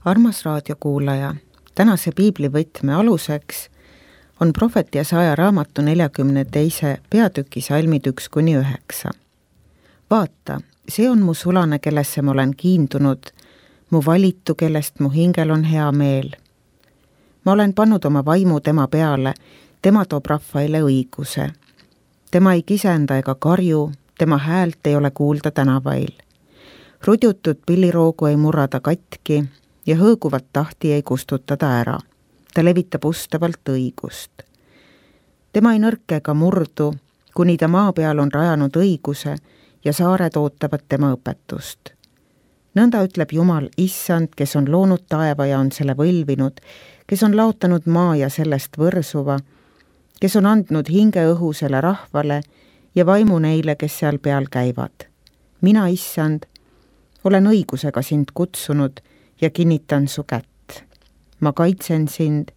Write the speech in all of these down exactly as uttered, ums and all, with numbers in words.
Armas raadiokuulaja, tänase piiblivõtme aluseks on prohvet Jesaja raamatu neljakümne teise peatüki salmid üks kuni üheksa. Vaata, see on mu sulane, kellesse ma olen kiindunud, mu valitu, kellest mu hingel on hea meel. Ma olen pannud oma vaimu tema peale, tema toob rahvaile õiguse. Tema ei kisenda ega karju, tema häält ei ole kuulda tänavail. Rudjutud pilliroogu ei murrada katki ja hõõguvat tahti ei kustutada ära. Ta levitab ustavalt õigust. Tema ei nõrke ega murdu, kuni ta maa peal on rajanud õiguse ja saared ootavad tema õpetust. Nõnda ütleb Jumal, issand, kes on loonud taeva ja on selle võlvinud, kes on laotanud maa ja sellest võrsuva, kes on andnud hinge õhusele rahvale ja vaimu neile, kes seal peal käivad. Mina, issand, olen õigusega sind kutsunud ja kinnitan su kätt. Ma kaitsen sind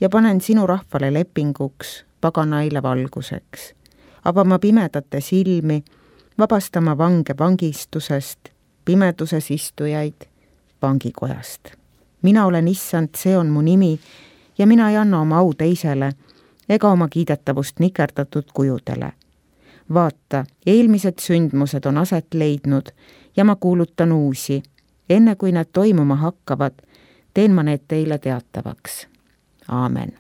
ja panen sinu rahvale lepinguks, paganaile valguseks. Avama pimedate silmi, vabastama vange vangistusest, pimeduses istujaid vangikojast. Mina olen issand, see on mu nimi ja mina ei anna oma au teisele ega oma kiidetavust nikerdatud kujudele. Vaata, eelmised sündmused on aset leidnud ja ma kuulutan uusi. Enne kui need toimuma hakkavad, teen ma need teile teatavaks. Aamen.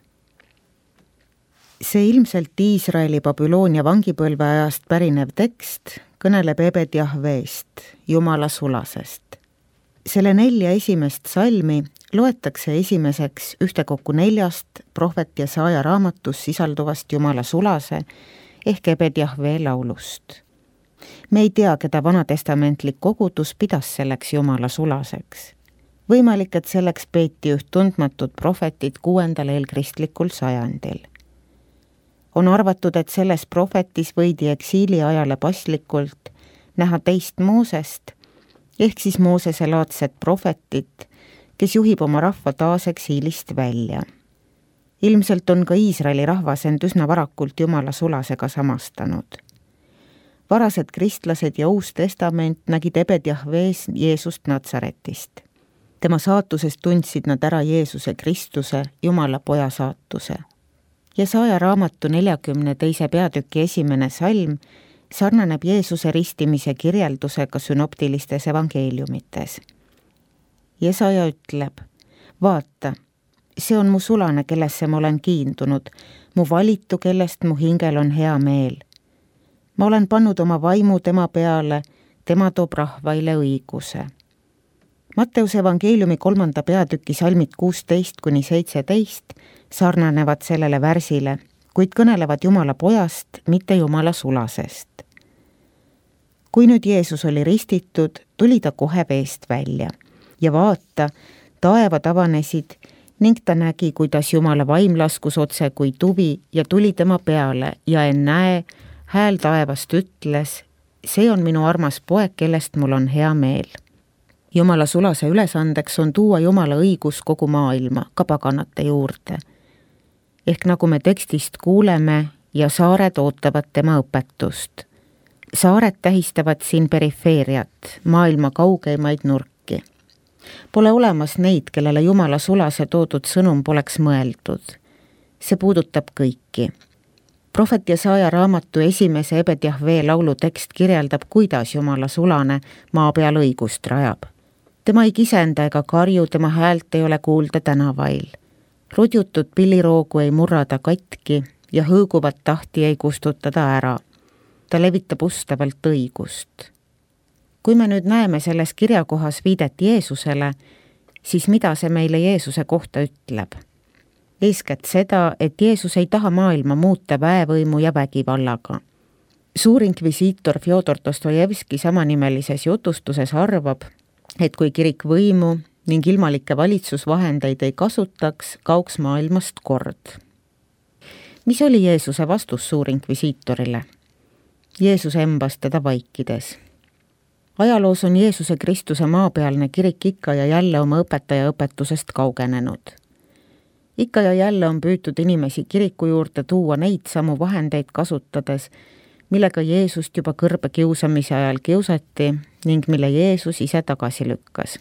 See ilmselt Iisraeli Babyloonia vangipõlve ajast pärinev tekst kõneleb Ebed Jahveest, Jumala sulasest. Selle nelja esimest salmi loetakse esimeseks ühtekokku neljast prohvet Jesaja raamatus sisalduvast Jumala sulase ehk Ebed Jahve laulust. Me ei tea, keda vanatestamentlik kogudus pidas selleks Jumala sulaseks. Võimalik, et selleks peeti üht tundmatut prohvetit kuuendal eelkristlikul sajandil. On arvatud, et selles prohvetis võidi eksiili ajale paslikult näha teist Moosest, ehk siis Moosese laadset prohvetit, kes juhib oma rahva taas eksiilist välja. Ilmselt on ka Iisraeli rahvas end üsna varakult Jumala sulasega samastanud. Varased kristlased ja uus testament nägid Ebed Jahvees Jeesust Natsaretist. Tema saatusest tundsid nad ära Jeesuse Kristuse, Jumala poja saatuse. Jesaja raamatu neljakümne teise peatüki esimene salm sarnaneb Jeesuse ristimise kirjeldusega sünoptilistes evangeeliumites. Jesaja ütleb, vaata, see on mu sulane, kellesse ma olen kiindunud, mu valitu, kellest mu hingel on hea meel. Ma olen pannud oma vaimu tema peale, tema toob rahvaile õiguse. Matteuse evangeeliumi kolmanda peatüki salmid kuusteist kuni seitseteist sarnanevad sellele värsile, kuid kõnelevad Jumala pojast, mitte Jumala sulasest. Kui nüüd Jeesus oli ristitud, tuli ta kohe veest välja ja vaata, taevad avanesid ning ta nägi, kuidas Jumala vaim laskus otse kui tuvi ja tuli tema peale ja ennäe, hääl taevast ütles, see on minu armas poeg, kellest mul on hea meel. Jumala sulase ülesandeks on tuua Jumala õigus kogu maailma, ka paganate juurde. Ehk nagu me tekstist kuuleme ja saared ootavad tema õpetust. Saared tähistavad siin perifeeriat, maailma kaugeimaid nurki. Pole olemas neid, kellele Jumala sulase toodud sõnum poleks mõeldud. See puudutab kõiki. Prohvet Jesaja raamatu esimese Ebed Jahve laulu tekst kirjeldab, kuidas Jumala sulane maa peal õigust rajab. Tema ei kisenda ega karju, tema häält ei ole kuulda tänavail. Rudjutud pilliroogu ei murrada katki ja hõõguvat tahti ei kustutada ära. Ta levitab ustavalt õigust. Kui me nüüd näeme selles kirjakohas viidet Jeesusele, siis mida see meile Jeesuse kohta ütleb? Eeskätt seda, et Jeesus ei taha maailma muuta väevõimu ja vägivallaga. Suurinkvisiitor Fjodor Dostojevski samanimelises jutustuses arvab, et kui kirik võimu ning ilmalikke valitsusvahendeid ei kasutaks, kauks maailmast kord. Mis oli Jeesuse vastus suurinkvisiitorile? Jeesus embas teda vaikides. Ajaloos on Jeesuse Kristuse maapealne kirik ikka ja jälle oma õpetaja õpetusest kaugenenud. Ikka ja jälle on püütud inimesi kiriku juurde tuua neid samu vahendeid kasutades, millega Jeesust juba kõrbe kiusamise ajal kiusati ning mille Jeesus ise tagasi lükkas.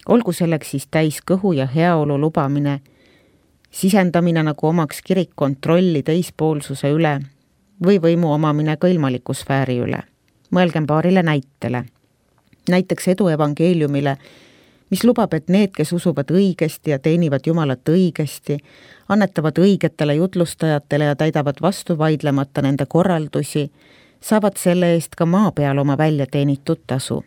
Olgu selleks siis täis kõhu ja heaolu lubamine, sisendamine nagu omaks kirik kontrolli teispoolsuse üle või võimu omamine ka ilmaliku sfääri üle. Mõelgem paarile näitele. Näiteks edu evangeeliumile, mis lubab, et need, kes usuvad õigesti ja teenivad Jumalat õigesti, annetavad õigetele jutlustajatele ja täidavad vastu vaidlemata nende korraldusi, saavad selle eest ka maa peal oma välja teenitud tasu.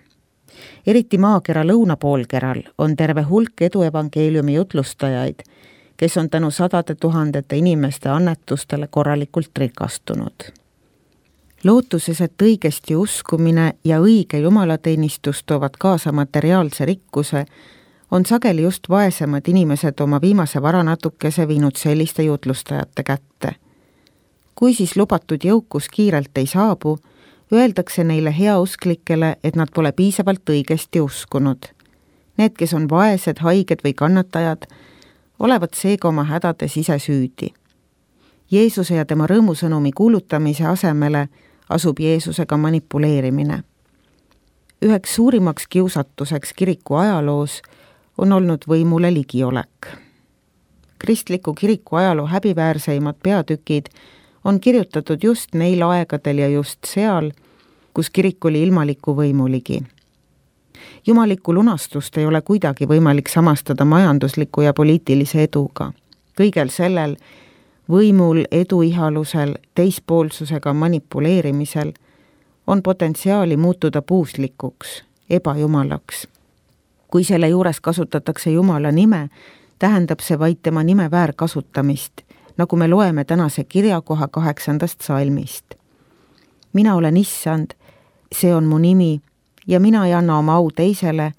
Eriti maakera lõunapoolkeral on terve hulk edu evangeeliumi jutlustajaid, kes on tänu sadade tuhandete inimeste annetustele korralikult rikastunud. Lootuses, et õigesti uskumine ja õige jumalateenistus toovad kaasa materiaalse rikkuse, on sageli just vaesemad inimesed oma viimase vara natukese viinud selliste jutlustajate kätte. Kui siis lubatud jõukus kiirelt ei saabu, öeldakse neile heausklikele, et nad pole piisavalt õigesti uskunud. Need, kes on vaesed, haiged või kannatajad, olevat seega oma hädades ise süüdi. Jeesuse ja tema rõõmusõnumi kuulutamise asemele asub Jeesusega manipuleerimine. Üheks suurimaks kiusatuseks kiriku ajaloos on olnud võimule ligiolek. Kristliku kiriku ajaloo häbiväärseimad peatükid on kirjutatud just neil aegadel ja just seal, kus kirik oli ilmaliku võimu ligi. Jumalikku lunastust ei ole kuidagi võimalik samastada majandusliku ja poliitilise eduga. Kõigel sellel võimul, eduihalusel, teispoolsusega manipuleerimisel on potentsiaali muutuda puuslikuks, ebajumalaks. Kui selle juures kasutatakse Jumala nime, tähendab see vaid tema nime väärkasutamist, nagu me loeme tänase kirjakoha kaheksandast salmist. Mina olen issand, see on mu nimi ja mina ei anna oma au teisele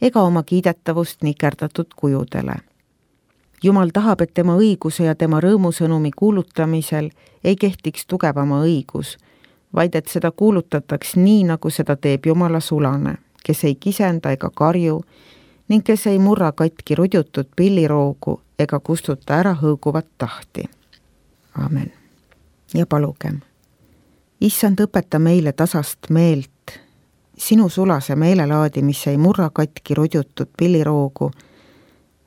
ega oma kiidetavust nikerdatud kujudele. Jumal tahab, et tema õiguse ja tema rõõmusõnumi kuulutamisel ei kehtiks tugevama õigus, vaid et seda kuulutataks nii, nagu seda teeb Jumala sulane, kes ei kisenda ega karju ning kes ei murra katki rudjutud pilliroogu ega kustuta ära hõõguvat tahti. Amen. Ja palugem. Issand, õpeta meile tasast meelt, sinu sulase meelelaadi, mis ei murra katki rudjutud pilliroogu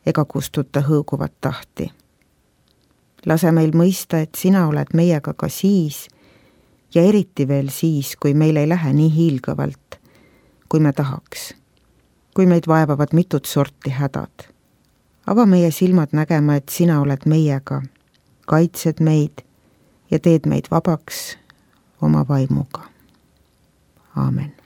ega kustuta hõõguvat tahti. Lase meil mõista, et sina oled meiega ka siis ja eriti veel siis, kui meil ei lähe nii hiilgavalt, kui me tahaks, kui meid vaevavad mitut sorti hädad. Ava meie silmad nägema, et sina oled meiega, kaitsed meid ja teed meid vabaks oma vaimuga. Aamen.